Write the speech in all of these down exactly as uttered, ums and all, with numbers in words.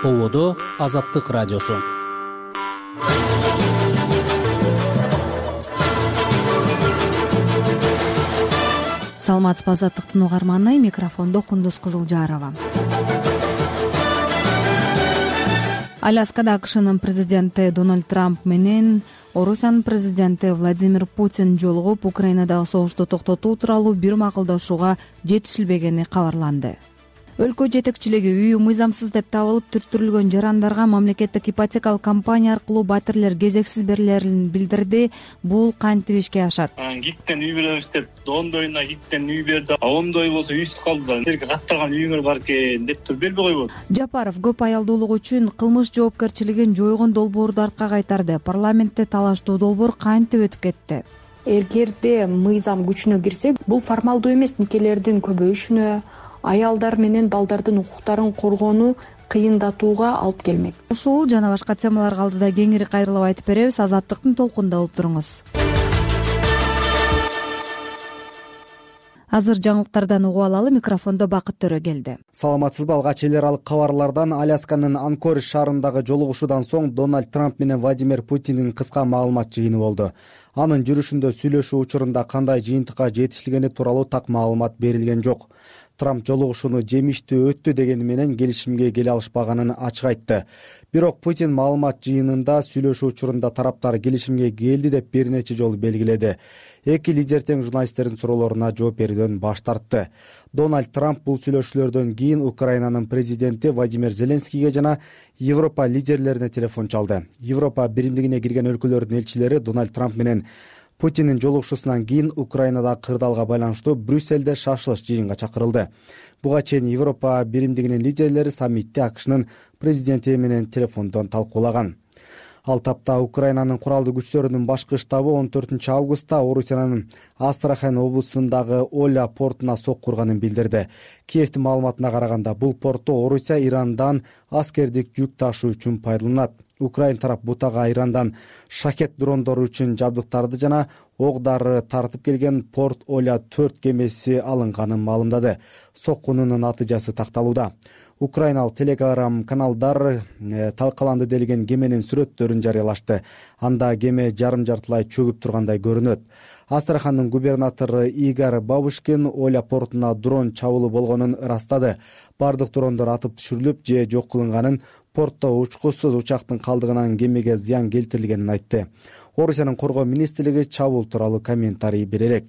Ободо Азаттык радиосу. Саламатсызбы, Азаттыктын угарманы, микрофондо Кундуз Кызылжарова. Аляскада АКШнын президенти Дональд Трамп менен Орусиянын президенти Владимир Путин жолугуп, Украинадагы согушту токтотуу тууралуу бир макулдашууга жетишилбегени кабарланды. Өлкө жетекчилиги үйү мыйзамсыз деп табылып түрттүрүлгөн жарандарга мамлекеттик ипотекалык компания аркылуу батирлер кезексиз берилерин билдирди. Бул кантип ишке ашат? Гиктен үй беребиз деп ондойуна гиктен үй берди. Ондой болсо үйсүз калды. Силерге каттырган үйүңөр бар экен деп туруп бербей койбойбу? Жапаров көп аялдуулук үчүн кылмыш жоопкерчилигин жойгон долбоорду артка кайтарды. Парламентте талаштуу долбоор кантип өтүп кетти? Эгерде мыйзам күчүнө кирсе, бул формалдуу эмес никелердин көбөйүшүнө, аялдар менен балдардын укуктарын коргоону кыйындатууга алып келмек. Ушул жана башка темаларга алдыда кеңири кайрылып айтып беребиз. Азаттыктын толкунда болуп туруңуз. Азыр жаңылыктардан угуп алалы. Микрофондо Бакыт Төрө келди. Саламатсызбы? Алгач эл аралык кабарлардан. Алясканын Анкоридж шаарындагы жолугушуудан соң Дональд Трамп менен Владимир Путиндин кыска маалымат жыйыны болду. Анын жүрүшүндө сүйлөшүү учурунда кандай жыйынтыкка жетишилгени тууралуу так маалымат берилген жок. Трамп жолугушууну жемиштүү өттү дегени менен келишимге келе алышпаганын ачык айтты. Бирок Путин маалымат жыйынында сүйлөшүү учурунда тараптар келишимге келди деп бир нече жолу белгиледи. Эки лидер тең журналисттердин суроолоруна жооп берүүдөн баш тартты. Дональд Трамп бул сүйлөшүүлөрдөн кийин Украинанын президенти Владимир Зеленскийге жана Европа лидерлерине телефон чалды. Европа биримдигине кирген өлкөлөрдүн элчилери Дональд Трамп менен Путиндин жолугушуусунан кийин Украинадагы кырдаалга байланыштуу Брюссельде шашылыш жыйынга чакырылды. Буга чейин Европа биримдигинин лидерлери саммитте АКШнын президенти менен телефондон талкуулаган. Ал тапта Украинанын куралдуу күчтөрүнүн башкы штабы он төртүнчү августта Орусиянын Астрахань облусундагы Оля портуна сокку урганын билдирди. Киевдин маалыматына караганда, бул портто Орусия Ирандан аскердик жүк ташуу үчүн пайдаланат. Украин тарап бутага Ирандан шакет дрондору үчүн жабдыктарды жана ок-дары тартып келген порт Оля төрт кемеси алынганын маалымдады. Соккунун натыйжасы такталууда. Украиналык телеграм каналдар э, талкаланды делген кеменин сүрөттөрүн жарыялашты. Анда кеме жарым жартылай чөгүп тургандай көрүнөт. Астрахандын губернатору Игорь Бабушкин Оля портуна дрон чабуулу болгонун ырастады. Бардык дрондор атып түшүрүлүп же жок кылынганын, портто учкусуз учактын калдыгынан кемеге зыян келтирилгенин айтты. Орусиянын коргоо министрлиги чабуул тууралуу комментарий бере элек.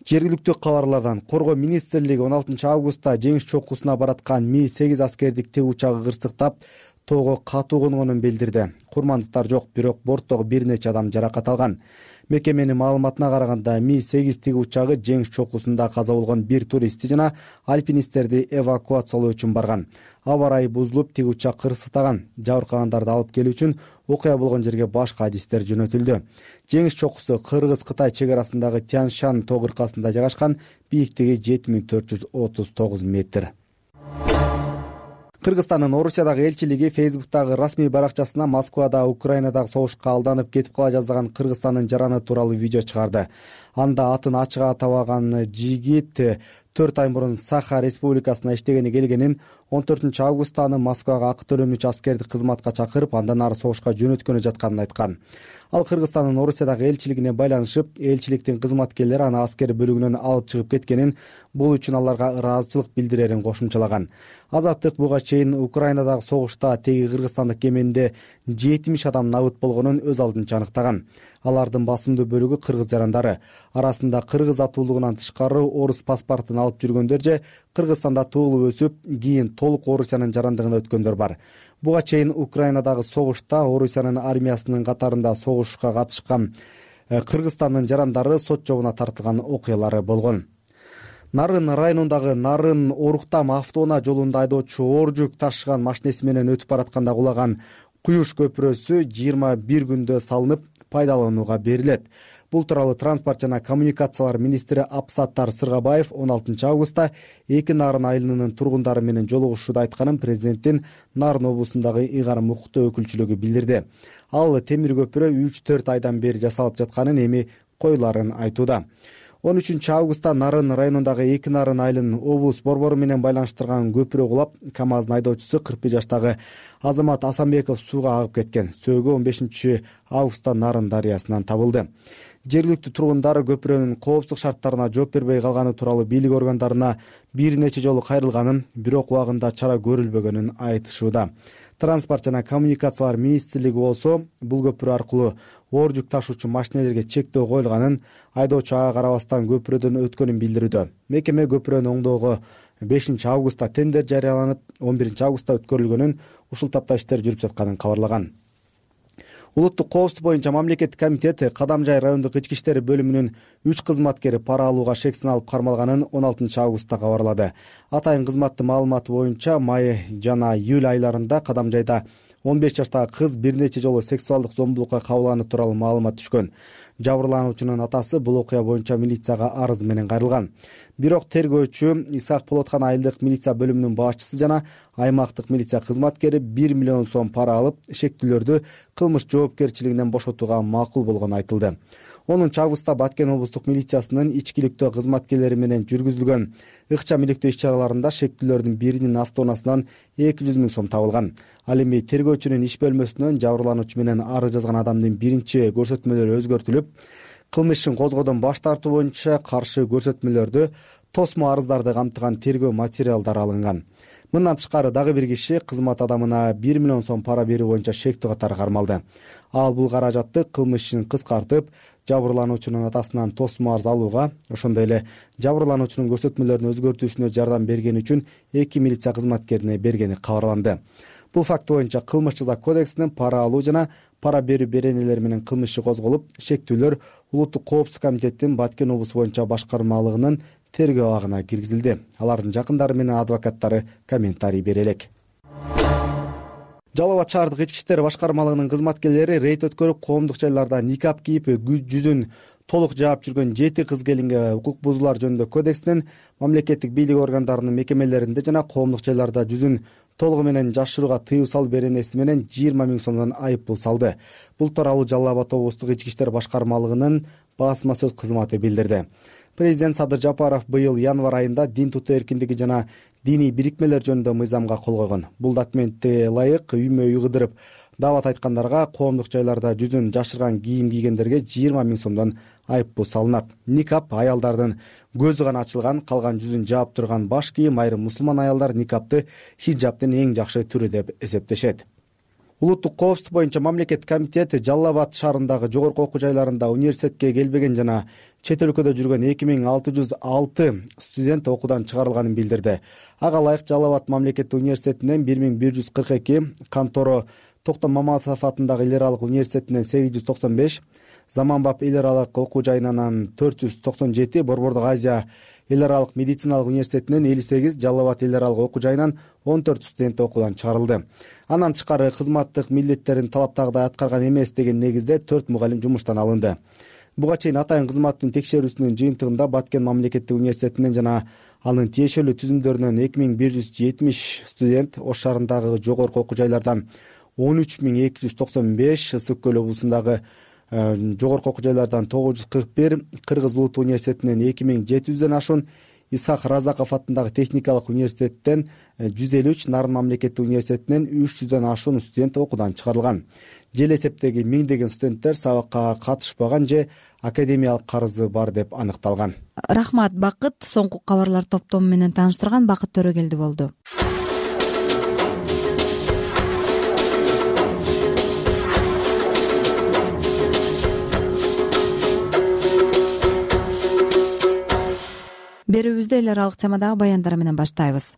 Жергиликтүү кабарлардан коргоо министрлиги он алтынчы августта жеңиш чокусуна бараткан Ми сегиз аскердик тик учагы кырсыктап, тоого катуу конгонун билдирди. Курмандыктар жок, бирок борттогу бир нече адам жаракат алган. Мекеменин маалыматына караганда, Ми сегиз тик учагы жеңиш чокусунда каза болгон бир туристти жана альпинисттерди эвакуациялоо үчүн барган. Аба ырайы бузулуп, тик учак кырсыктаган. Жабыркагандарды алып келүү үчүн окуя болгон жерге башка адистер жөнөтүлдү. Жеңиш чокусу Кыргыз-Кытай чек арасындагы Тянь-Шань тоо кыркасында жайгашкан, бийиктиги жети миң төрт жүз отуз тогуз метр. Кыргызстандын Орусиядагы элчилиги Фейсбуктагы расмий баракчасына Москвада Украинадагы согушка алданып кетип кала жаздаган Кыргызстандын жараны тууралуу видео чыгарды. Анда атын ачык атабаган жигит төрт ай мурун Саха Республикасына иштегени келгенин, он төртүнчү августта аны Москвага акы төлөнүүчү аскердик кызматка чакырып, андан ары согушка жөнөткөнү жатканын айткан. Ал Кыргызстандын Орусиядагы элчилигине байланышып, элчиликтин кызматкерлери аны аскер бөлүгүнөн алып чыгып кеткенин, бул үчүн аларга ыраазычылык билдирерин кошумчалаган. Азаттык буга чейин Украинадагы согушта теги кыргызстандык кеменде жетимиш адам набыт болгонун өз алдынча аныктаган. Алардын басымдуу бөлүгү кыргыз жарандары. Арасында кыргыз атуулугунан тышкары орус паспортун алып жүргөндөр же Кыргызстанда туулуп өсүп, кийин толук Орусиянын жарандыгына өткөндөр бар. Буга чейин Украинадагы согушта Орусиянын армиясынын катарында согушка катышкан Кыргызстандын жарандары сот жообуна тартылган окуялары болгон. Нарын районундагы Нарын Оруктам автоунаа жолунда айдоочу оор жүк ташыган машинеси менен өтүп баратканда кулаган Куюш көпүрөсү жыйырма бир күндө салынып, пайдаланууга берилет. Бул тууралуу транспорт жана коммуникациялар министри Апсаттар Сыргабаев он алтынчы августта эки Нарын айылынын тургундары менен жолугушууда айтканын президенттин Нарын облусундагы Игар Мукуттуу өкүлчүлүгү билдирди. Ал темир көпүрө үч төрт айдан бери жасалып жатканын, эми коюларын айтууда. он үчүнчү августта Нарын районундагы эки Нарын айылын облус борбору менен байланыштырган көпүрө кулап, КамАЗдын айдоочусу кырк бир жаштагы Азамат Асанбеков сууга агып кеткен. Сөөгү он бешинчи августта Нарын дарыясынан табылды. Жергиликтүү тургундар көпүрөнүн коопсуздук шарттарына жооп бербей калганы тууралуу бийлик органдарына бир нече жолу кайрылганын, бирок убагында чара көрүлбөгөнүн айтышууда. Транспорт жана коммуникациялар министрлиги болсо бул көпүрө аркылуу оор жүк ташуучу машинелерге чектөө коюлганын, айдоочу ага карабастан көпүрөдөн өткөнүн билдирүүдө. Мекеме көпүрөнү оңдоого бешинчи августта тендер жарыяланып, он биринчи августта өткөрүлгөнүн, ушул тапта иштер жүрүп жатканын кабарлаган. Улуттук коопсуздук боюнча мамлекеттик комитет Кадамжай райондук ички иштер бөлүмүнүн үч кызматкери пара алууга шек сыналып кармалганын он алтынчы августта кабарлады. Атайын кызматтын маалыматы боюнча май жана июль айларында Кадамжайда он беш жаштагы кыз бир нече жолу сексуалдык зомбулукка кабылганы тууралуу маалымат түшкөн. Жабырлануучунун атасы бул окуя боюнча милицияга арыз менен кайрылган. Бирок тергөөчү Исак Полоткан айылдык милиция бөлүмүнүн башчысы жана аймактык милиция кызматкери бир миллион сом пара алып, шектүүлөрдү кылмыш жоопкерчилигинен бошотууга макул болгону айтылды. онунчу августта Баткен облустук милициясынын ичкиликтөө кызматкерлери менен жүргүзүлгөн ыкчам иликтөө иш-чараларында шектүүлөрдүн биринин автоунаасынан эки жүз миң сом табылган. Ал эми тергөөчүнүн иш бөлмөсүнөн жабырлануучу менен арыз жазган адамдын биринчи көрсөтмөлөрү өзгөртүлүп, кылмыш ишин козгоодон баш тартуу боюнча каршы көрсөтмөлөрдү, тосмо арыздарды камтыган тергөө материалдары алынган. Мындан тышкары дагы бир киши кызмат адамына бир миллион сом пара берүү боюнча шектүү катары кармалды. Ал бул каражатты кылмыш ишин кыскартып, жабырлануучунун атасынан тосмо арыз алууга, ошондой эле жабырлануучунун көрсөтмөлөрүн өзгөртүүсүнө жардам бергени үчүн эки милиция кызматкерине бергени кабарланды. Бул факт боюнча Кылмыш жаза кодексинин пара алуу жана пара берүү беренелери менен кылмыш иши козголуп, шектүүлөр Улуттук коопсуздук комитеттин Баткен облусу боюнча башкармалыгынын тергөө абагына киргизилди. Алардын жакындары менен адвокаттары комментарий бере элек. Жалал Абад шаардык ички иштер башкармалыгынын кызматкерлери рейд өткөрүп, коомдук жайларда никап кийип, жүзүн толук жаап жүргөн жети кыз келинге укук бузуулар жөнүндө кодексинин, мамлекеттик бийлик органдарынын мекемелеринде жана коомдук жайларда жүзүн толугу менен жашырууга тыюу салуу беренеси менен жыйырма миң сомдон айып пул салды. Бул тууралуу Жалал Абад облустук ички иштер башкармалыгынын басма сөз кызматы билдирди. Президент Садыр Жапаров быйыл январь айында дин тутуу эркиндиги жана диний бирикмелер жөнүндө мыйзамга кол койгон. Бул документти ылайык үймө үй кыдырып даават айткандарга, коомдук жайларда жүзүн жашырган кийим кийгендерге жыйырма миң сомдон айып пул салынат. Никап аялдардын көзү гана ачылган, калган жүзүн жаап турган баш кийим айрым мусулман аялдар никапты хиджабтын эң жакшы түрү деп эсептешет. Улуттук коопсуздук боюнча мамлекеттик комитет Жалал Абад шаарындагы жогорку окуу жайларында университетке келбеген жана чет өлкөдө жүргөн эки миң алты жүз алты студент окуудан чыгарылганын билдирди. Ага ылайык Жалал Абад мамлекеттик университетинен бир миң бир жүз кырк эки, Канторо Токтом Маматов атындагы эл аралык университетинен сегиз жүз токсон беш, Заманбап эл аралык окуу жайынан төрт жүз токсон жети, Борбордук Азия эл аралык медициналык университетинен элүү сегиз, Жалал Абад эл аралык окуу жайынан он төрт студент окуудан чыгарылды. Андан тышкары кызматтык милдеттерин талаптагыдай аткарган эмес деген негизде төрт мугалим жумуштан алынды. Буга чейин атайын кызматтын текшерүүсүнүн жыйынтыгында Баткен мамлекеттик университетинен жана анын тиешелүү түзүмдөрүнөн эки миң бир жүз жетимиш студент, Ош шаарындагы жогорку окуу жайлардан он үч миң эки жүз токсон беш, Ысык көл облусундагы жогорку окуу жайлардан тогуз жүз кырк бир, Кыргыз улуттук университетинен эки миң жети жүздөн ашуун, Исхак Разаков атындагы техникалык университеттен жүз элүү үч, Нарын мамлекеттик университетинен үч жүздөн ашуун студент окуудан чыгарылган. Жел эсептеги миңдеген студенттер сабакка катышпаган же академиялык карызы бар деп аныкталган. Рахмат, Бакыт. Соңку кабарлар топтому менен тааныштырган Бакыт Төрөгелди болду. Берүүбүздү эл аралык темадагы баяндар менен баштайбыз.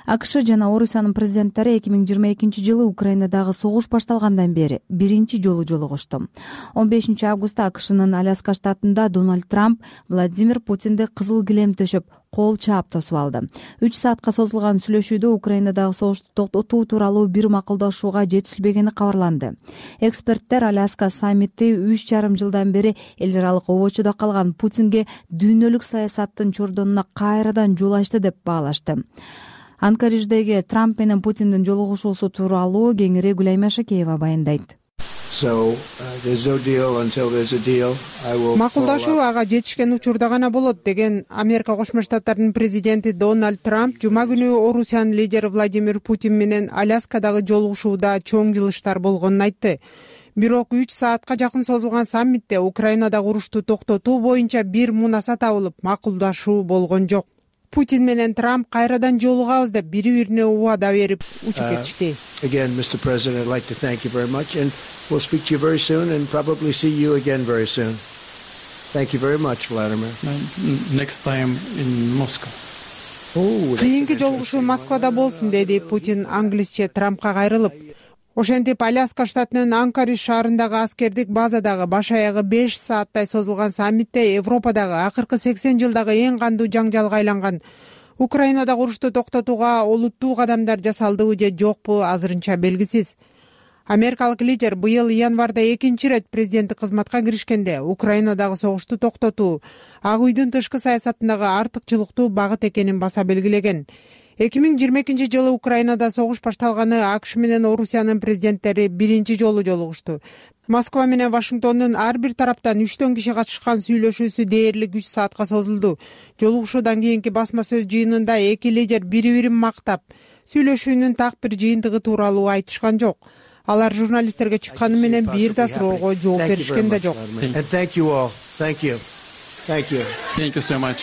АКШ жана Орусиянын президенттери эки миң жыйырма экинчи жылы Украинадагы согуш башталгандан бери биринчи жолу жолугушту. он бешинчи августта АКШнын Аляска штатында Дональд Трамп Владимир Путинди кызыл килем төшөп, кол чаап тосуп алды. үч саатка созулган сүйлөшүүдө Украинадагы согушту токтотуу тууралуу бир макулдашууга жетишилбегени кабарланды. Эксперттер Аляска саммити үч жарым жылдан бери эл аралык обочодо калган Путинге дүйнөлүк саясаттын чордонуна кайрадан жол ачты деп баалашты. Анкаридждеги Трамп менен Путиндин жолугушуусу тууралуу кеңири Гүлайма Шакеева баяндайт. макулдашуу ага жетишкен учурда гана болот деген Америка Кошмо Штаттарынын президенти Дональд Трамп жума күнү Орусиянын лидери Владимир Путин менен Аляскадагы жолугушууда чоң жылыштар болгонун айтты. Бирок үч саатка жакын созулган саммитте Украинадагы урушту токтотуу боюнча бир мунаса табылып, макулдашуу болгон жок. Путин менен Трамп кайрадан жолугабыз деп бири-бирине убада берип учуп кетишти. Again, Mister President, I'd like to thank you very much, and we'll speak to you very soon, and probably see you again very soon. Thank you very much, Vladimir. Next time in Moscow. Кийинки жолугушуу Москвада болсун, деди Путин англисче Трампка кайрылып. Ошентип Аляска штатынын Анкоридж шаарындагы аскердик базадагы баш аягы беш сааттай созулган саммитте Европадагы акыркы сексен жылдагы эң кандуу жаңжалга айланган Украинадагы урушту токтотууга олуттуу кадамдар жасалдыбы же жокпу азырынча белгисиз. Америкалык лидер быйыл январда экинчи ирет президенттик кызматка киришкенде Украинадагы согушту токтотуу Ак үйдүн тышкы саясатындагы артыкчылыктуу багыт экенин баса белгилеген. эки миң жыйырма экинчи жылы Украинада согуш башталганы АКШ менен Орусиянын президенттери биринчи жолу жолугушту. Москва менен Вашингтондун ар бир тараптан үчтөн киши катышкан сүйлөшүүсү дээрлик үч саатка созулду. Жолугушуудан кийинки басма сөз жыйынында эки лидер бири-бирин мактап, сүйлөшүүнүн так бир жыйынтыгы тууралуу айтышкан жок. Алар журналисттерге чыкканы менен бир да суроого жооп беришкен да жок. Thank you all. Thank you. Thank you. Thank you so much.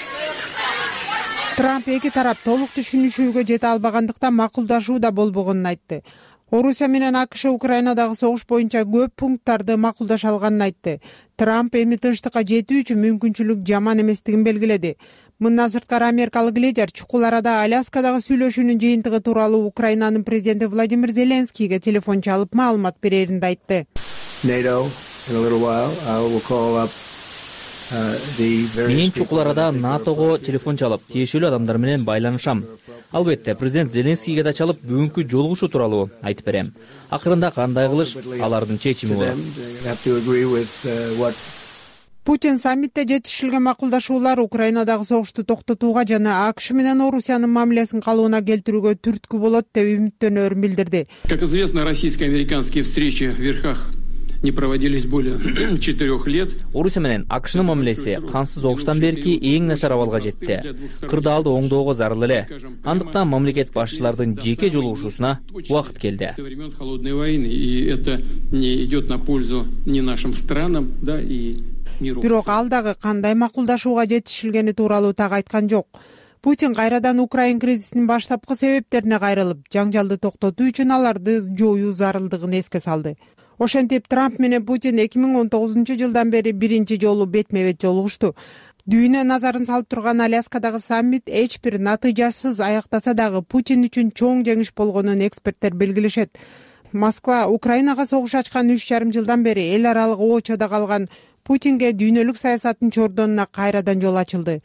Трамп эки тарап толук түшүнүшүүгө жете албагандыктан макулдашуу да болбогонун айтты. Орусия менен АКШ Украинадагы согуш боюнча көп пункттарды макулдаша алганын айтты. Трамп эми тынчтыкка жетүү үчүн мүмкүнчүлүк жаман эместигин белгиледи. Мындан сырткары америкалык лидер чукул арада Аляскадагы сүйлөшүүнүн жыйынтыгы тууралуу Украинанын президенти Владимир Зеленскийге телефон чалып маалымат берерин да айтты. NATO, in a little while, I will call up Мен чукул арада НАТОго телефон чалып, тиешелүү адамдар менен байланышам. Албетте, президент Зеленскийге да чалып, бүгүнкү жолугушуу тууралуу айтып берем. Акырында кандай кылыш алардын чечими болот. Путин саммитте жетишилген макулдашуулар Украинадагы согушту токтотууга жана АКШ менен Орусиянын мамилесин калыбына келтирүүгө түрткү болот деп үмүттөнөрүн билдирди. Как известно, российско-американские встречи в верхах не проводились более четырех лет. Орусия менен АКШнын мамилеси кансыз огуштан берки эң начар абалга жетти. Кырдаалды оңдоого зарыл эле. Андыктан мамлекет башчылардын жеке жолугушуусуна убакыт келди. Со времен холодной войны, и это не идет на пользу ни нашим странам, да, и миру. Бирок ал дагы кандай макулдашууга жетишилгени тууралуу так айткан жок. Путин кайрадан Украин кризисинин баштапкы себептерине кайрылып, жаңжалды токтотуу үчүн аларды жоюу зарылдыгын эске салды. Ошентип Трамп менен Путин эки миң он тогузунчу жылдан бери биринчи жолу бетме-бет жолугушту. Дүйнө назарын салып турган Аляскадагы саммит эч бир натыйжасыз аяктаса дагы Путин үчүн чоң жеңиш болгонун эксперттер белгилешет. Москва Украинага согуш ачкан үч жарым жылдан бери эл аралык оочодо калган Путинге дүйнөлүк саясаттын чордонуна кайрадан жол ачылды.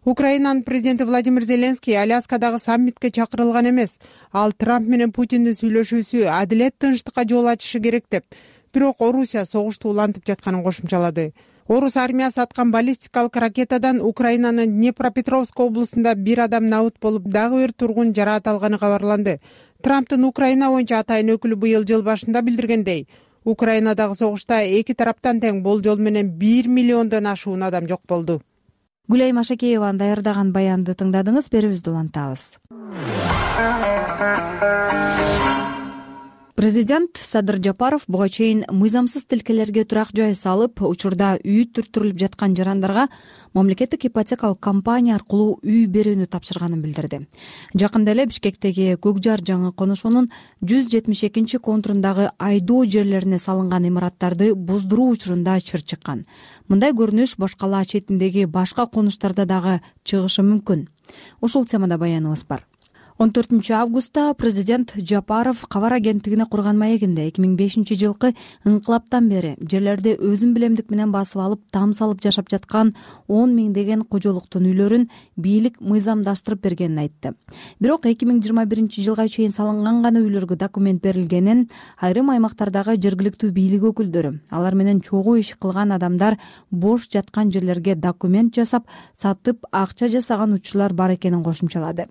Украинанын президенти Владимир Зеленский Аляскадагы саммитке чакырылган эмес. Ал Трамп менен Путиндин сүйлөшүүсү адилет тынчтыкка жол ачышы керек деп. Бирок Орусия согушту улантып жатканын кошумчалады. Орус армиясы аткан баллистикалык ракетадан Украинанын Днепропетровск облусунда бир адам набыт болуп, дагы бир тургун жараат алганы кабарланды. Трамптын Украина боюнча атайын өкүлү быйыл жыл башында билдиргендей, Украинадагы согушта эки тараптан тең болжол менен бир миллиондон ашуун адам жок болду. Гүлай Машакееванын даярдаган баянды тыңдадыңыз, берүүбүздү улантабыз. Президент Садыр Жапаров буга чейин мыйзамсыз тилкелерге турак жай салып, учурда үй түрттүрүлүп жаткан жарандарга мамлекеттик ипотекалык компания аркылуу үй берүүнү тапшырганын билдирди. Жакында эле Бишкектеги Көк Жар жаңы конушуунун жүз жетимиш экинчи контурундагы айдоо жерлерине салынган имараттарды буздуруу учурунда чыр чыккан. Мындай көрүнүш башкала четиндеги башка конуштарда дагы чыгышы мүмкүн. Ушул темада баяныбыз бар. он төртүнчү августта президент Жапаров кабар агенттигине курган маегинде эки миң бешинчи жылкы ыңкылаптан бери жерлерди өзүн билемдик менен басып алып, там салып жашап жаткан он миңдеген кожолуктун үйлөрүн бийлик мыйзамдаштырып бергенин айтты. Бирок эки миң жыйырма биринчи жылга чейин салынган гана үйлөргө документ берилгенин айрым аймактардагы жергиликтүү бийлик өкүлдөрү, алар менен чогуу иш кылган адамдар бош жаткан жерлерге документ жасап, сатып акча жасаган учурлар бар экенин кошумчалады.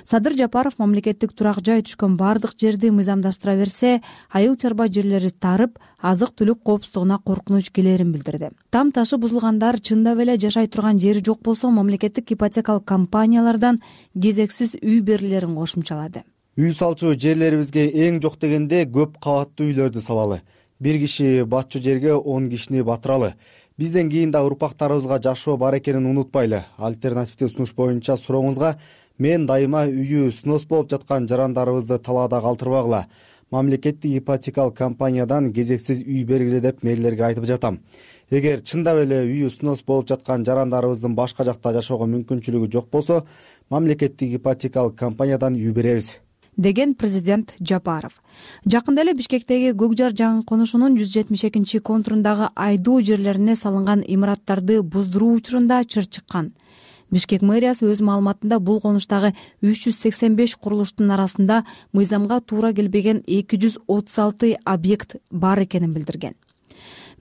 Садыр Жапаров мамлекеттик турак жай түшкөн бардык жерди мыйзамдаштыра берсе, айыл чарба жерлери тарып, азык-түлүк коопсуздугуна коркунуч келерин билдирди. Там ташы бузулгандар чындап эле жашай турган жери жок болсо, мамлекеттик ипотекалык компаниялардан кезексиз үй берилерин кошумчалады. Үй салчу жерлерибизге эң жок дегенде көп кабаттуу үйлөрдү салалы. Бир киши батчу жерге он кишини батыралы. Бизден кийин да урпактарыбызга жашоо бар экенин унутпайлы. Альтернативдүү сунуш боюнча сурооңузга мен дайыма үйү снос болуп жаткан жарандарыбызды талаада калтырбагыла. Мамлекеттик ипотекалык компаниядан кезексиз үй бергиле деп мэрлерге айтып жатам. Эгер чындап эле үйү снос болуп жаткан жарандарыбыздын башка жакта жашоого мүмкүнчүлүгү жок болсо, мамлекеттик ипотекалык компаниядан үй беребиз, деген президент Жапаров. Жакында эле Бишкектеги Көкжар жаңы конушунун жүз жетимиш экинчи контурундагы айдоо жерлерине салынган имараттарды буздуруу учурунда чыр чыккан. Бишкек мэриясы өз маалыматында бул конуштагы үч жүз сексен беш курулуштун арасында мыйзамга туура келбеген эки жүз отуз алты объект бар экенин билдирген.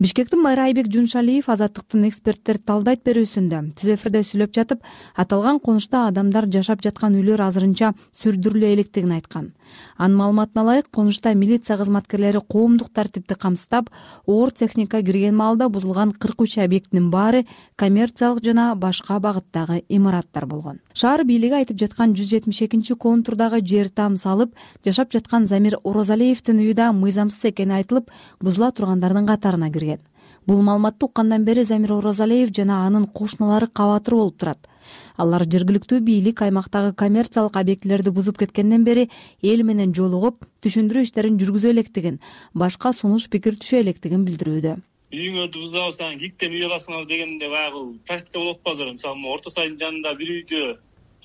Бишкектин мэри Айбек Жуншалиев Азаттыктын эксперттер талдайт берүүсүндө түз эфирде сүйлөп жатып, аталган конушта адамдар жашап жаткан үйлөр азырынча сүрдүрүлө электигин айткан. Анын маалыматына ылайык, конушта милиция кызматкерлери коомдук тартипти камсыздап, оор техника кирген маалда бузулган кырк үч объекттин баары коммерциялык жана башка багыттагы имараттар болгон. Шаар бийлиги айтып жаткан жүз жетимиш экинчи контурдагы жер там салып, жашап жаткан Замир Орозалиевдин үйү да мыйзамсыз экени айтылып, бузула тургандардын катарына кирген. Бул маалыматты уккандан бери Замир Орозалиев жана анын кошуналары кабатыр болуп турат. Алар жергиликтүү бийлик аймактагы коммерциялык объектилерди бузуп кеткенден бери эл менен жолугуп, түшүндүрүү иштерин жүргүзө электигин, башка сунуш пикир түшө электигин билдирүүдө. Үйүңөрдү бузуп алсаң, гиктен үй аласыңар дегенде баягы практика болуп калды. Мисалы, Орто сайдын жанында бир үйдү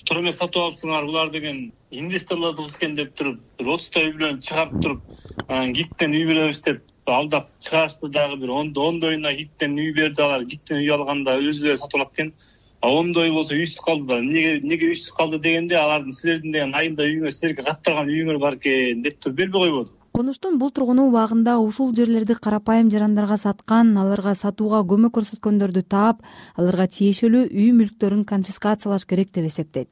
тура эмес сатып алыпсыңар, булар деген инвесторлорду кылышкен деп туруп, бир отуздай үй менен чыгарып туруп, анан гиктен үй беребиз деп алдап чыгарышты. Дагы бир ондойуна гиктен үй берди, алар гиктен үй алганда өзүлөрү сатып алат экен. А ондой болсо үйсүз калдылар. Эмнеге эмнеге үйсүз калды дегенде, алардын силердин деген айылда үйүңөр, силерге каттырган үйүңөр бар экен деп туруп бербей койбоду. Конуштун бул тургуну убагында ушул жерлерди карапайым жарандарга саткан, аларга сатууга көмөк көрсөткөндөрдү таап, аларга тиешелүү үй мүлктөрүн конфискациялаш керек деп эсептейт.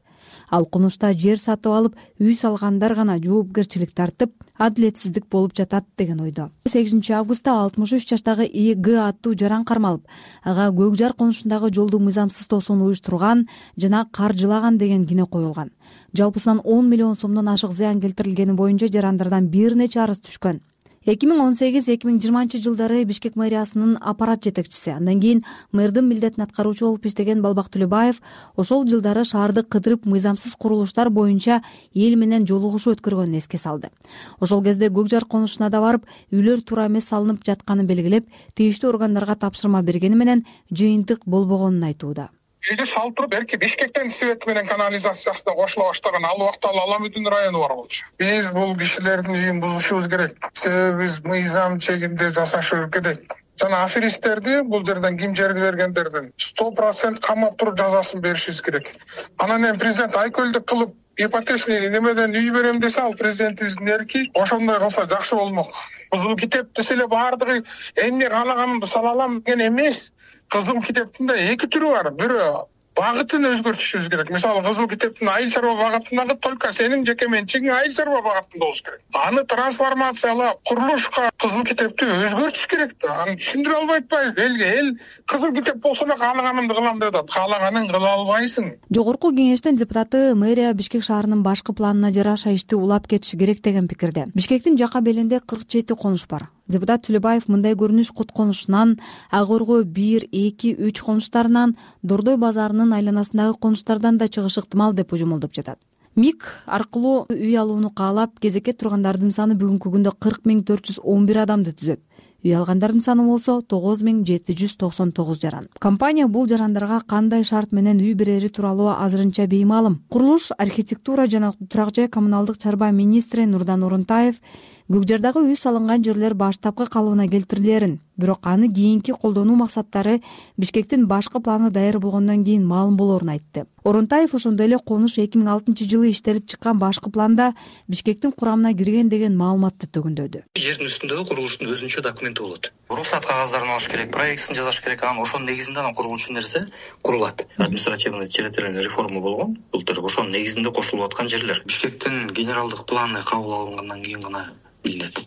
Ал конушта жер сатып алып, үй салгандар гана жоопкерчилик тартып, адилетсиздик болуп жатат деген ойдо. сегизинчи августта алтымыш үч жаштагы И Г аттуу жаран кармалып, ага Көкжар конушундагы жолду мыйзамсыз тосууну уюштурган жана каржылаган деген кине коюлган. Жалпысынан он миллион сомдон ашык зыян келтирилгени боюнча жарандардан бир нече арыз түшкөн. эки миң он сегиз эки миң жыйырманчы жылдары Бишкек мэриясынын аппарат жетекчиси, андан кийин мэрдин милдетин аткаруучу болуп иштеген Балбак Төлөбаев ошол жылдары шаарды кыдырып мыйзамсыз курулуштар боюнча эл менен жолугушуу өткөргөнүн эске салды. Ошол кезде Көкжар конушуна да барып, үйлөр туура эмес салынып жатканын белгилеп, тийиштүү органдарга тапшырма бергени менен жыйынтык болбогонун айтууда. Үйдү салып туруп, эрки Бишкектен свет менен канализациясына кошула баштаган ал убакта Аламүдүн району бар болчу. Биз бул кишилердин үйүн бузушубуз керек. Себеби биз мыйзам чегинде жашашыбыз керек. Жана аферисттерди бул жерден ким жерди бергендердин сто процент камап туруп жазасын беришибиз керек. Анан эми президент айкөлдүк кылып ипотечный немеден үй берем десе, ал президентибиздин эрки, ошондой кылса жакшы болмок. Кызыл китеп десе эле баардыгы эмне каалаганымды сала алам деген эмес. Кызыл китептин да эки түрү бар. Бирөө багытын өзгөртүшүбүз керек. Мисалы, кызыл китептин айыл чарба багытындагы только сенин жеке менчигиң айыл чарба багытында болуш керек. Аны трансформациялап, курулушка кызыл китепти өзгөртүш керек да. Аны түшүндүрө албай атпайбыз элге. Эл кызыл китеп болсо эле каалаганымды кылам деп атат. Каалаганын кыла албайсың. Жогорку кеңештин депутаты мэрия Бишкек шаарынын башкы планына жараша ишти улап кетиши керек деген пикирде. Бишкектин жака белинде кырк жети конуш бар. Депутат Төлөбаев мындай көрүнүш Кут конушунан, Ак Орго бир, эки, үч конуштарынан, Дордой базарынын айланасындагы конуштардан да чыгышы ыктымал деп божомолдоп жатат. МИК аркылуу үй алууну каалап, кезекке тургандардын саны бүгүнкү күндө кырк миң төрт жүз он бир адамды түзөт. Үй алгандардын саны болсо тогуз миң жети жүз токсон тогуз жаран. Компания бул жарандарга кандай шарт менен үй берери тууралуу азырынча беймаалым. Курулуш, архитектура жана турак жай коммуналдык чарба министри Нурдан Орунтаев Көкжардагы үй салынган жерлер баштапкы калыбына келтирилерин, бирок аны кийинки колдонуу максаттары Бишкектин башкы планы даяр болгондон кийин маалым болорун айтты. Орунтаев ошондой эле конуш эки миң алтынчы жылы иштелип чыккан башкы планда Бишкектин курамына кирген деген маалыматты төгүндөдү. Жердин үстүндөгү курулуштун өзүнчө документи болот. уруксат кагаздарын алыш керек, проектин жасаш керек. Анан ошонун негизинде анан курулуучу нерсе курулат. Административный территориальный реформа болгон. Былтыр ошонун негизинде кошулуп аткан жерлер. Бишкектин генералдык планы кабыл алынгандан кийин гана билинет.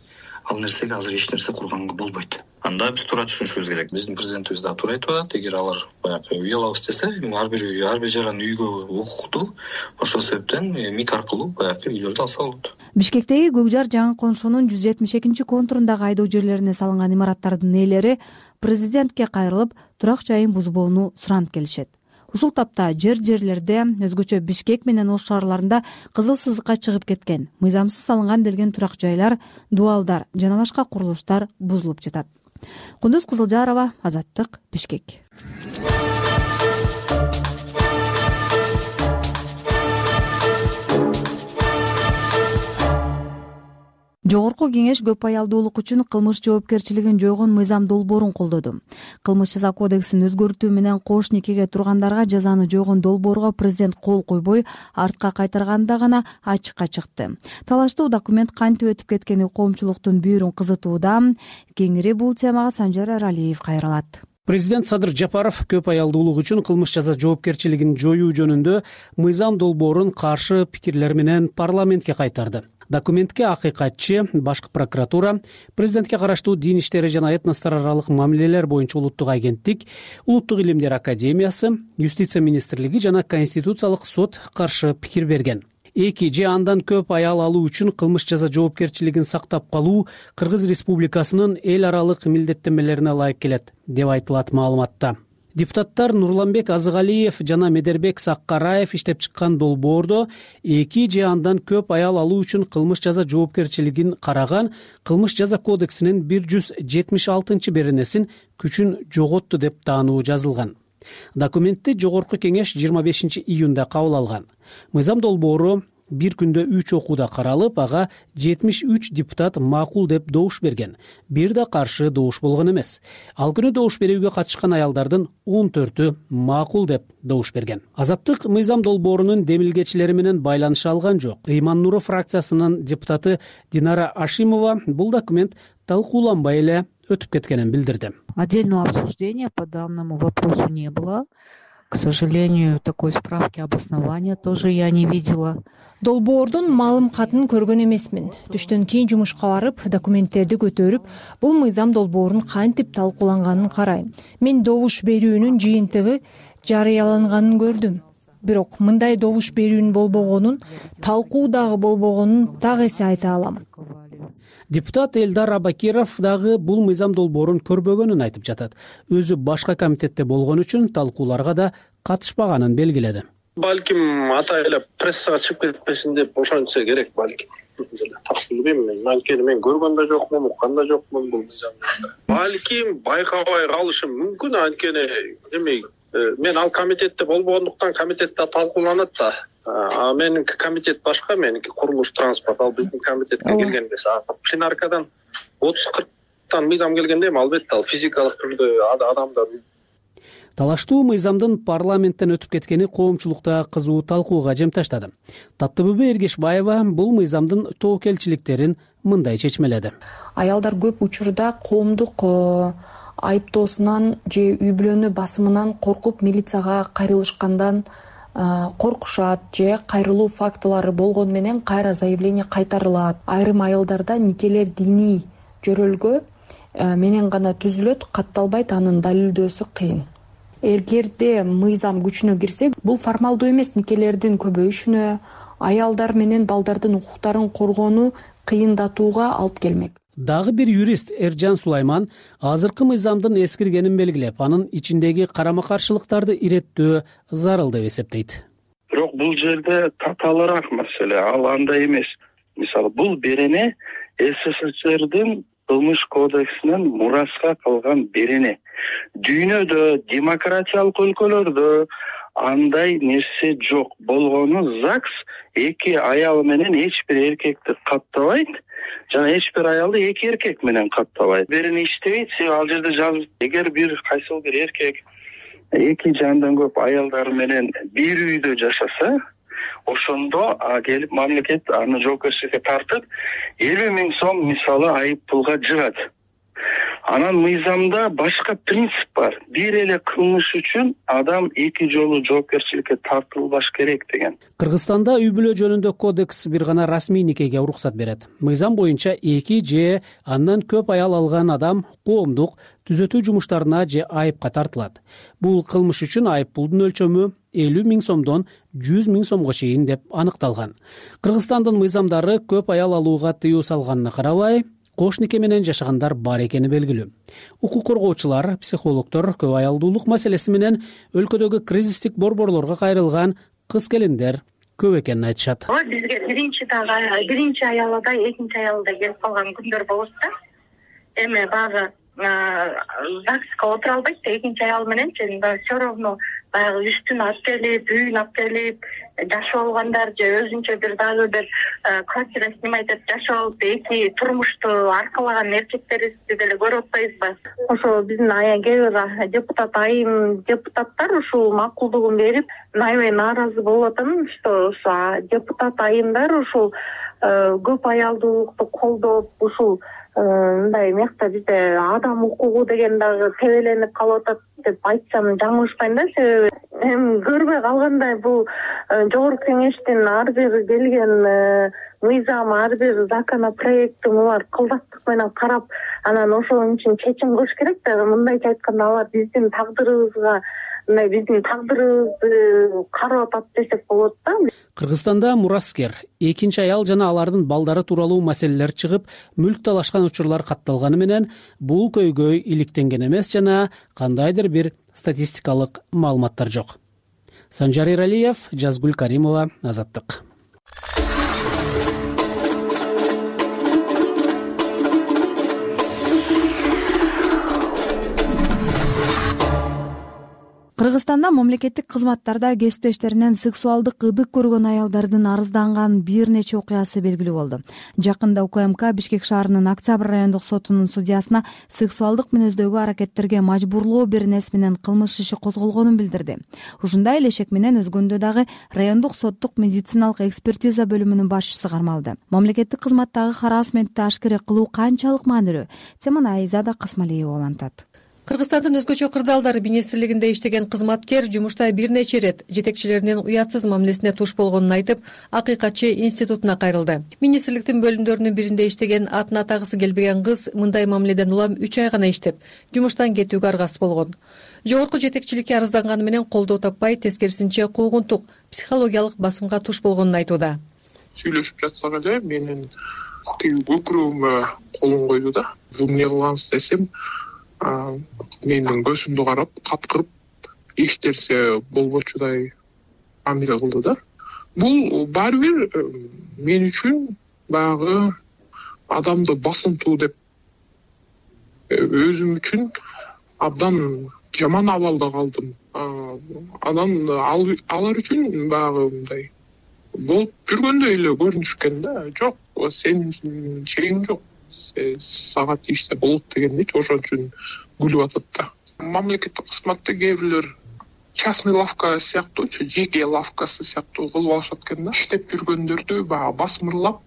Ал нерсеге азыр эч нерсе курганга болбойт. Анда биз туура түшүнүшүбүз керек. Биздин президентибиз да туура айтып атат. Эгер алар баягы үй алабыз десе, ар бир үй, ар бир жаран үйгө укуктуу. Ошол себептен МИК аркылуу баягы үйлөрдү алса болот. Бишкектеги Көк жар жаңы коншунун жүз жетимиш экинчи контурундагы айдоо жерлерине салынган имараттардын ээлери президентке кайрылып, турак жайын бузбоону суранып келишет. Ушул тапта жер жерлерде, өзгөчө Бишкек менен Ош шаарларында кызыл сызыкка чыгып кеткен, мыйзамсыз салынган делген турак жайлар, дуалдар жана башка курулуштар бузулуп жатат. Кундуз Кызылжарова, Азаттык, Бишкек. Жогорку кеңеш көп аялдуулук үчүн кылмыш жоопкерчилигин жойгон мыйзам долбоорун колдоду. Кылмыш жаза кодексин өзгөртүү менен кош никеге тургандарга жазаны жойгон долбоорго президент кол койбой, артка кайтарганда гана ачыкка чыкты. Талаштуу документ кантип өтүп кеткени коомчулуктун бүйүрүн кызытууда. Кеңири бул темага Санжар Аралиев кайрылат. Президент Садыр Жапаров көп аялдуулук үчүн кылмыш жаза жоопкерчилигин жоюу жөнүндө мыйзам долбоорун каршы пикирлер менен парламентке кайтарды. Документке акыйкатчы, башкы прокуратура, президентке караштуу дин иштери жана этностор аралык мамилелер боюнча улуттук агенттик, Улуттук илимдер академиясы, Юстиция министрлиги жана Конституциялык сот каршы пикир берген. Эки же андан көп аял алуу үчүн кылмыш жаза жоопкерчилигин сактап калуу Кыргыз Республикасынын эл аралык милдеттенмелерине ылайык келет, деп айтылат маалыматта. Депутаттар Нурланбек Азыгалиев жана Медербек Саккараев иштеп чыккан долбоордо эки же андан көп аял алуу үчүн кылмыш жаза жоопкерчилигин караган Кылмыш жаза кодексинин бир жүз жетимиш алтынчы беренесин күчүн жоготту деп таануу жазылган. Документти Жогорку кеңеш жыйырма бешинчи июнда кабыл алган. Мыйзам долбоору бир күндө үч окууда каралып, ага жетимиш үч депутат макул деп добуш берген. Бир да каршы добуш болгон эмес. Ал күнү добуш берүүгө катышкан аялдардын он төртү макул деп добуш берген. Азаттык мыйзам долбоорунун демилгечилери менен байланыша алган жок. Ыйман Нуров фракциясынын депутаты Динара Ашимова бул документ талкууланбай эле өтүп кеткенин билдирди. Отдельного обсуждения по данному вопросу не было. К сожалению, такой справки обоснования тоже я не видела. Долбоордун маалым катын көргөн эмесмин. Түштөн кийин жумушка барып, документтерди көтөрүп, бул мыйзам долбоорун кантип талкууланганын карайм. Мен добуш берүүнүн жыйынтыгы жарыяланганын көрдүм. Бирок мындай добуш берүүнүн болбогонун, талкуу дагы болбогонун так эсе айта алам. Депутат Элдар Абакиров дагы бул мыйзам долбоорун көрбөгөнүн айтып жатат. Өзү башка комитетте болгон үчүн талкууларга да катышпаганын белгиледи. Балким ата эле прессага чыгып кетпесин деп ошончо керек балким. Так билбейм мен. Анткени мен көргөн да жокмун, уккан да жокмун бул мыйзамды. Балким байкабай калышым мүмкүн, анткени эми мен ал комитетте болбогондуктан комитетте талкууланат да. А меники комитет башка, меники курулуш транспорт, ал биздин комитетке келген эмес. Пленаркадан отуз кырктан мыйзам келгенде эми албетте ал физикалык түрдө адамдар. Талаштуу мыйзамдын парламенттен өтүп кеткени коомчулукта кызуу талкууга жем таштады. Таттыбүбү Эргешбаева бул мыйзамдын тоокелчиликтерин мындай чечмеледи. Аялдар көп учурда коомдук айыптоосунан же үй бүлөнү басымынан коркуп милицияга кайрылышкандан коркушат же кайрылуу фактылары болгону менен кайра заявление кайтарылат. Айрым аялдарда никелер диний жөрөлгө менен гана түзүлөт, катталбайт, анын далилдөөсү кыйын. Эгерде мыйзам күчүнө кирсе, бул формалдуу эмес никелердин көбөйүшүнө, аялдар менен балдардын укуктарын коргоону кыйындатууга алып келмек. Дагы бир юрист Эржан Сулайман азыркы мыйзамдын эскиргенин белгилеп, анын ичиндеги карама-каршылыктарды иреттөө зарыл деп эсептейт. Бирок бул жерде татаалыраак маселе, ал андай эмес. Мисалы, бул берене СССРдин кылмыш кодексинен мураска калган берене. Дүйнөдө, демократиялык өлкөлөрдө андай нерсе жок. Болгону ЗАГС эки аял менен эч бир эркекти каттабайт, жана эч бир аялды эки эркек менен каттабайт. Берене иштебейт, ал жерде жазылып, эгер бир кайсыл бир эркек эки же андан көп аялдар менен бир үйдө жашаса, ошондо келип мамлекет аны жоопкерчиликке тартып элүү миң сом мисалы айып пулга жыгат. Анан мыйзамда башка принцип бар. Бир эле кылмыш үчүн адам эки жолу жоопкерчиликке тартылбаш керек деген. Кыргызстанда үй бүлө жөнүндө кодекс бир гана расмий никеге уруксат берет. Мыйзам боюнча эки же андан көп аял алган адам коомдук түзөтүү жумуштарына же айыпка тартылат. Бул кылмыш үчүн айып пулдун өлчөмү элүү миң сомдон жүз миң сомго чейин деп аныкталган. Кыргызстандын мыйзамдары көп аял алууга тыюу салганына карабай, кош нике менен жашагандар бар экени белгилүү. Укук коргоочулар, психологдор көп аялдуулук маселеси менен өлкөдөгү кризистик борборлорго кайрылган кыз келиндер көп экенин айтышат. Бизге биринчи дагы биринчи аялда, экинчи аялда келип калган күндөр болот да. Эми багы ЗАГСка отура албайт да, экинчи аял менен все равно баягы үстүн алып келип, үйүн алып келип жашап алгандар же өзүнчө бир дагы бир квартира снимать этип жашап алып эки турмушту аркалаган эркектерибизди деле көрүп атпайбызбы? Ошо биздин кээ бир депутат айым депутаттар ушул макулдугун берип, аябай нааразы болуп атам, что депутат айымдар ушул көп аялдуулукту колдоп, ушул мындай мекта бизде адам укугу деген дагы тебеленип калып атат деп айтсам жаңылышпайм да. Себеби эми көрбөй калгандай бул жогорку кеңештин ар бир келген мыйзам, ар бир законопроекти булар кылдаттык менен карап, анан ошонун үчүн чечим кылыш керек да. Мындайча айтканда алар биздин тагдырыбызга, мындай биздин тагдырыбызды карап атат десек болот да. Кыргызстанда мураскер, экинчи аял жана алардын балдары тууралуу маселелер чыгып, мүлк талашкан учурлар катталганы менен бул көйгөй иликтенген эмес жана кандайдыр бир статистикалык маалыматтар жок. Санжар Иралиев, Жазгүл Каримова, Азаттык. Кыргызстанда мамлекеттик кызматтарда кесиптештеринен сексуалдык ыдык көргөн аялдардын арызданган бир нече окуясы белгилүү болду. Жакында УКМК Бишкек шаарынын Октябрь райондук сотунун судьясына сексуалдык мүнөздөгү аракеттерге мажбурлоо беренеси менен кылмыш иши козголгонун билдирди. Ушундай эле шек менен өзгөндө дагы райондук соттук медициналык экспертиза бөлүмүнүн башчысы кармалды. Мамлекеттик кызматтагы харассментти ашкере кылуу канчалык маанилүү? Теманы Айзада Касмалиева улантат. Кыргызстандын өзгөчө кырдаалдары министрлигинде иштеген кызматкер жумушта бир нече ирет жетекчилеринин уятсыз мамилесине туш болгонун айтып, акыйкатчы институтуна кайрылды. Министрликтин бөлүмдөрүнүн биринде иштеген атын атагысы келбеген кыз мындай мамиледен улам үч ай гана иштеп, жумуштан кетүүгө аргасыз болгон. Жогорку жетекчиликке арызданганы менен колдоо таппай, тескерисинче куугунтук, психологиялык басымга туш болгонун айтууда. Сүйлөшүп жатсак эле менин тиги көкүрөгүмө колун койду да. Бул эмне кылгансыз десем, менин көзүмдү карап, каткырып, эчтерсе болбочудай мамиле кылды да. Бул баары бир мен үчүн баягы адамды басынтуу деп, өзүм үчүн абдан жаман абалда калдым. Анан алар үчүн баягы мындай болуп жүргөндөй эле көрүнүшкөн да. Жок, сенин чегиң жок. Сага тийишсе болот дегендейчи, ошон үчүн күлүп атат да. Мамлекеттик кызматта кээ бирлер частный лавка сыяктуучу, жеке лавкасы сыяктуу кылып алышат экен да. Иштеп жүргөндөрдү баягы басмырлап,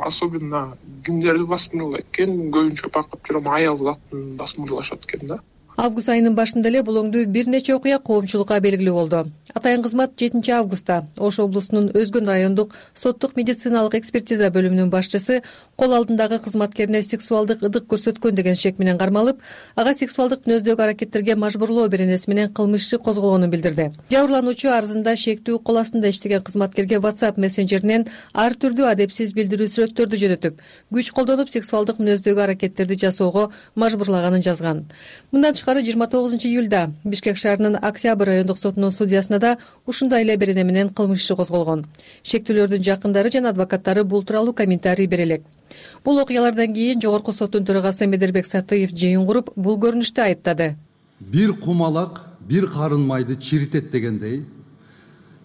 особенно кимдерди басмырлайт экен, көбүнчө байкап жүрөм, аял затын басмырлашат экен да. Август айынын башында эле бул оңдуу бир нече окуя коомчулукка белгилүү болду. Атайын кызмат жетинчи августта Ош облусунун Өзгөн райондук соттук медициналык экспертиза бөлүмүнүн башчысы кол алдындагы кызматкерине сексуалдык ыдык көрсөткөн деген шек менен кармалып, ага сексуалдык мүнөздөгү аракеттерге мажбурлоо беренеси менен кылмыш иши козголгонун билдирди. Жабырлануучу арызында шектүү кол астында иштеген кызматкерге WhatsApp мессенджеринен ар түрдүү адепсиз билдирүү сүрөттөрдү жөнөтүп, күч колдонуп сексуалдык мүнөздөгү аракеттерди жасоого мажбурлаганын жазган. Мындан жыйырма тогузунчу июлда Бишкек шаарынын Октябрь райондук сотунун судьясына да ушундай эле берене менен кылмыш иши козголгон. Шектүүлөрдүн жакындары жана адвокаттары бул тууралуу комментарий бере элек. Бул окуялардан кийин жогорку соттун төрагасы Медербек Сатыев жыйын куруп, бул көрүнүштү айыптады. Бир кумалак бир карын майды чиритет дегендей,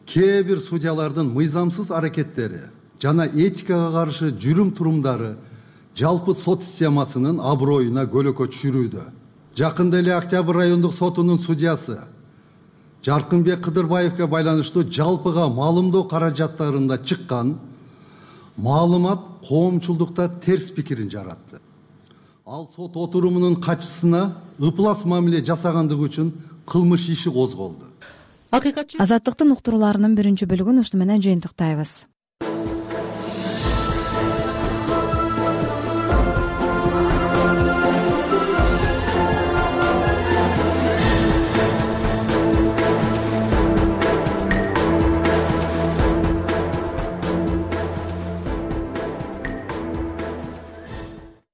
кээ бир судьялардын мыйзамсыз аракеттери жана этикага каршы жүрүм турумдары жалпы сот системасынын аброюна көлөкө түшүрүүдө. Жакында эле Октябрь райондук сотунун судьясы Жаркынбек Кыдырбаевге байланыштуу жалпыга маалымдоо каражаттарында чыккан маалымат коомчулдукта терс пикирин жаратты. ал сот отурумунун катчысына ыплас мамиле жасагандыгы үчүн кылмыш иши козголду. Акыйкатчы Азаттыктын уктурууларынын биринчи бөлүгүн ушуну менен жыйынтыктайбыз.